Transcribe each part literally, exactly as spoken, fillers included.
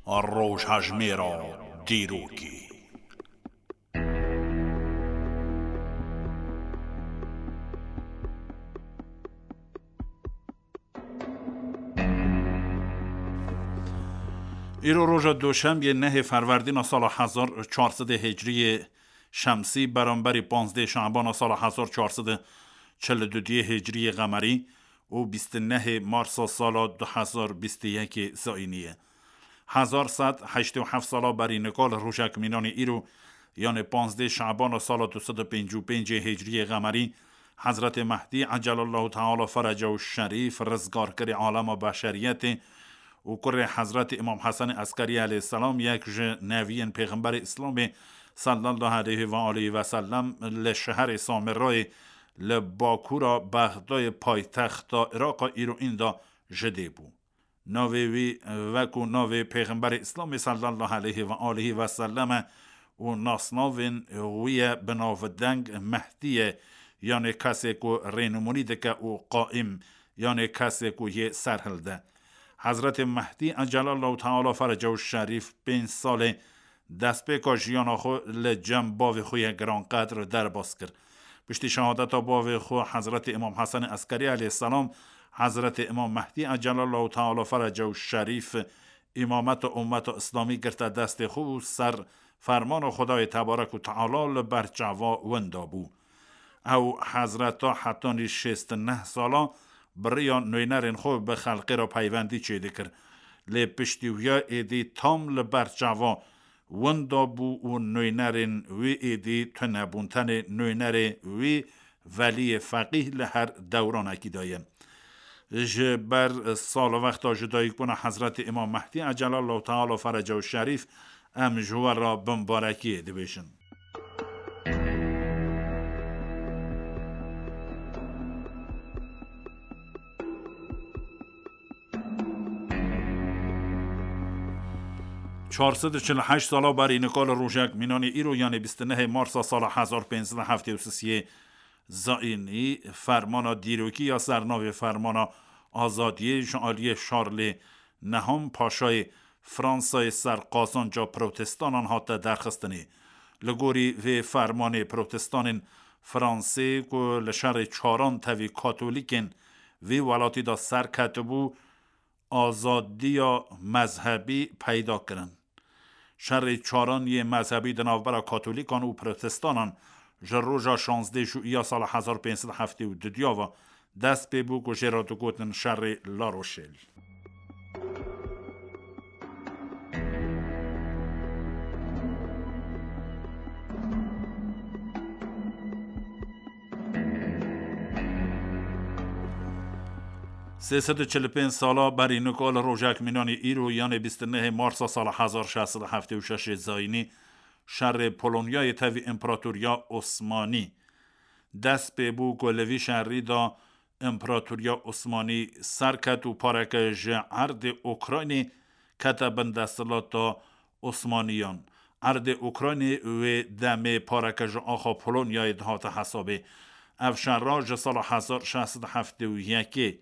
Rojhejmêra dîrokê. Îro roja Doşembiyê nehê Ferwerdîna sala hezar çar sed hicriyê şemsî, beramberî panzdeh Şabana sala hezar çar sed çil û duyê hicriyê qemerî û bîst û nehê Marsa sala du hezar bîst û yekê zayînî ye. Hezar sed heştê û heft sala berî nika li rojek mînanê îro, yanê panzdeh Şabana sala du sed û pêncî û pêncê hicriyê qemerî, Hezretê Mehdî Ecelallahu Teala Feracehu Şerîf, rizgarkirê alema beşeriyetê û kurê Hezretê Îmam Hesenê Eskerî aleyhisselam, yek ji neviyên Pêxemberê Îslamê sallallahu aleyhi ve aleyhi ve sellem, li şeherê Samirayê li bakûra Bexdayê paytexta Îraqa îro înda ji dê bû. Navê wî wekû navê Pêxemberê Îslamê sallallahu aleyhi ve aleyhi ve sellem e û nasnavên wî ye bi navdeng Mehdî ye, yanê kesê ku rênimûnî dike û qaîm, yanê kesê ku yê ser hilde. Hezretê Mehdî Ecelallahu Teala Feracehu Şerîf pênc salê destpêka jiyana xwe li cem bavê xwe yê giranqedr derbas kir. Piştî şehadeta bavê xwe Hezretê Îmam Hesenê Eskerî aleyhisselam, Hezretê Îmam Mehdî Ecelallahu Teala Feracehu Şerîf îmameta ummeta Îslamî girte destê xwe û ser fermana Xwedayê Tebarek û Teala li ber çava winda bû. Ew hezreta hetanî şêst û neh sala bi riya nûnerên xwe bi xelkê re peywendî çêdikir. Lê piştî wiya êdî tam li ber çava winda bû û nûnerên wî êdî tune bûn. Tenê nûnerê wî Veliyê Feqîh li her dewranekî de ye. Ji ber salwexta ji dayikbûna Hezretê Îmam Mehdî Ecelallahu Teala Feracehu Şerîf, em ji we re bimbarekiyê dibêjin. Çar sed û çil û heşt sala berî nika li rojek mînanê îro, yanê bîst û nehê Marsa sala hezar pênc sed û heftê û sisê zayînî, fermana dîrokî ya ser navê Fermana Azadiyê ji aliyê Şarlê Neham Paşayê Fransayê ser qazanca protestanên hate derxistinê. Li gorî vê fermanê, protestanên Fransê ku li şerê çaran tevî katolîkên vê welatî de ser ketibû, azadiya mezhebî peyda kirin. Şerê çaran yê mezhebî di navbera katolîkan û protestanên ji roja şazdeh Jûiya sala hezar pênc sed û heftê û du diya ve dest pê bû, ku jê re digotin şerê La Rochelle. Sê sed û çil û pênc sala berî nika li rojek mînanî îro, yanê bîst û nehê Marsa sala hezar şeş sed û heftê û şeş zayînî, şerê Polonyayê tevî Împaratoriya Osmanî dest pê bû, ku li vî şerî de Împaratoriya Osmanî ser ket û pareke ji erdê Ukraynê kete bin desthilata Osmaniyan. Erdê Ukraynê wê demê pareke ji axa Polonyayê dihate hesabê. Ev şera ji sala hezar şeş sed û heftê û yekê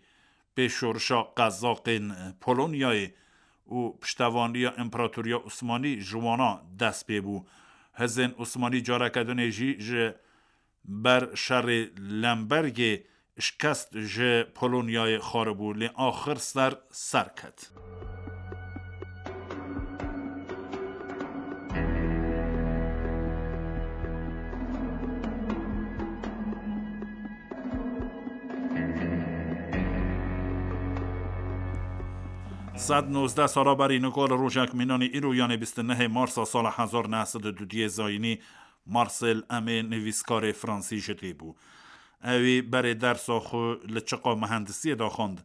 pê şorişa qezaqên Polonyayê û piştevaniya Împaratoriya Osmanî ji wana dest pê bû. Hizên Osmanî careke dinê jî ji ber şerê Lembergê şikest ji Polonyayê xwaribû, lê axir ser ser ket. Sed nozdeh sala berî nika li rojek mînanî îro, yanê bîst û nehê Marsa sala hezar neh sed û dudiyê zayînî, Marcel Aimé nivîskarê fransî ji dê bû. Ewî berê dersa xwe li çiqa mihendisiyê de xwend,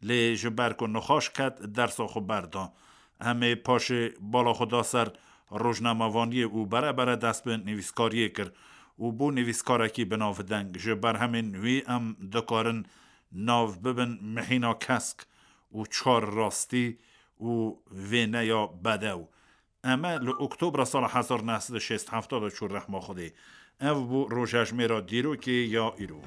lê ji ber ku nixweş ket, dersa xwe berda. Aimé paşê bala xwe da ser rojnamevaniyê û bere bere dest bi nivîskariyê kir û bû nivîskarekî binavdeng. Ji berhemên wî em dikarin nav bibin Mihîna Kesk û Çar Rastî û Vêneya Bedew. Eme li Oktobra sala hezar neh sed û şêst heft de çû rehma Xwedê. Ev bû rojejmêra dîrokê ya îro.